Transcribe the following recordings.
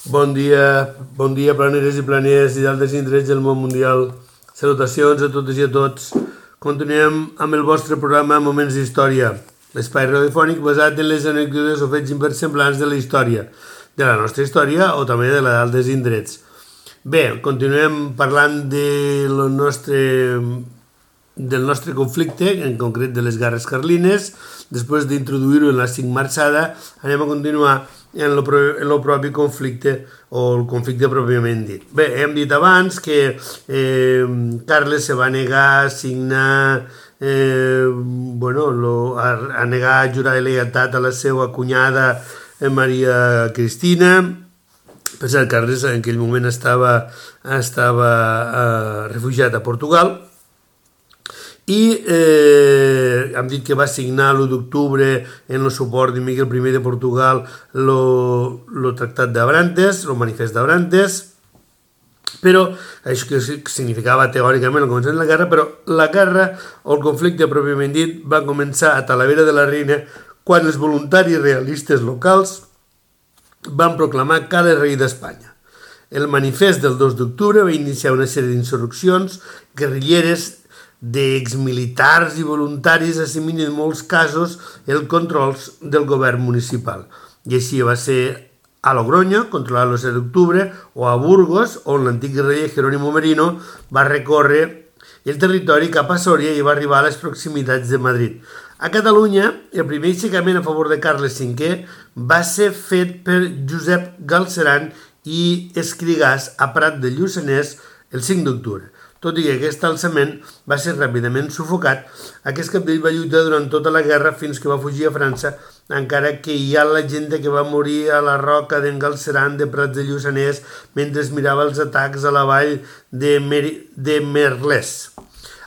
Bon dia, planeres i planeres i d'altres indrets del món mundial. Salutacions a totes i a tots. Continuem amb el vostre programa Moments d'Història, l'espai radiofònic basat en les anècdotes o fets inversemblants de la història, de la nostra història o també de la d'altres indrets. Bé, continuem parlant del nostre conflicte, en concret de les guerres carlines. Després d'introduir-ho en la cinc-marxada, anem a continuar en el propi conflicte o el conflicte pròpiament dit. Bé, hem dit abans que Carles se va negar a signar, a negar a jurar lealtat a la seva cunyada Maria Cristina. Per cert, Carles en aquell moment estava refugiat a Portugal. I hem dit que va signar l'1 d'octubre en el suport de Miguel I de Portugal el Tractat d'Abrantes, el Manifest d'Abrantes, però això que significava teòricament el començament de la guerra, però la guerra o el conflicte pròpiament dit va començar a Talavera de la Reina quan els voluntaris realistes locals van proclamar Carles rei d'Espanya. El manifest del 2 d'octubre va iniciar una sèrie d'insurreccions guerrilleres d'exmilitars i voluntaris assumint en molts casos el control del govern municipal. I així va ser a Logroño, controlat el 7 d'octubre, o a Burgos, on l'antic guerriller Jerónimo Merino va recórrer el territori cap a Sòria i va arribar a les proximitats de Madrid. A Catalunya, el primer aixecament a favor de Carles V va ser fet per Josep Galceran i Escrigàs a Prat de Lluçanès el 5 d'octubre. Tot i que aquest alçament va ser ràpidament sufocat, aquest capdell va lluitar durant tota la guerra fins que va fugir a França, encara que hi ha la gent que va morir a la roca d'en Galceran de Prats de Lluçanès mentre mirava els atacs a la vall de Merlès.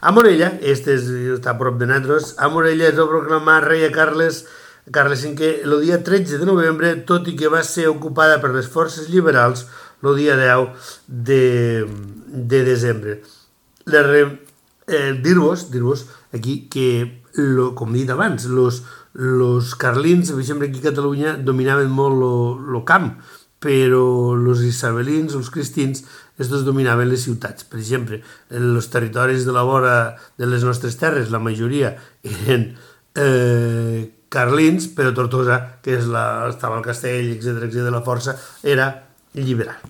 A Morella, està a prop de nosaltres, a Morella es va proclamar rei a Carles V el dia 13 de novembre, tot i que va ser ocupada per les forces liberals el dia 10 de desembre. Dir-vos aquí que, com he dit abans, los carlins, per exemple, aquí a Catalunya dominaven molt el camp, però els isabelins, els cristins, estos dominaven les ciutats. Per exemple, els territoris de la vora de les nostres terres, la majoria eren carlins, però Tortosa, que estava al castell, etc., la força, era liberal.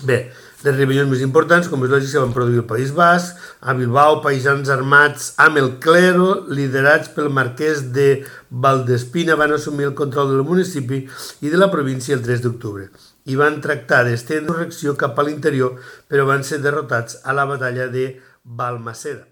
Bé, les rebel·lions més importants, com és lògic, se van produir al País Basc, a Bilbao, paisans armats amb el clero, liderats pel marquès de Valdespina, van assumir el control del municipi i de la província el 3 d'octubre i van tractar d'estendre la insurrecció cap a l'interior, però van ser derrotats a la batalla de Balmaceda.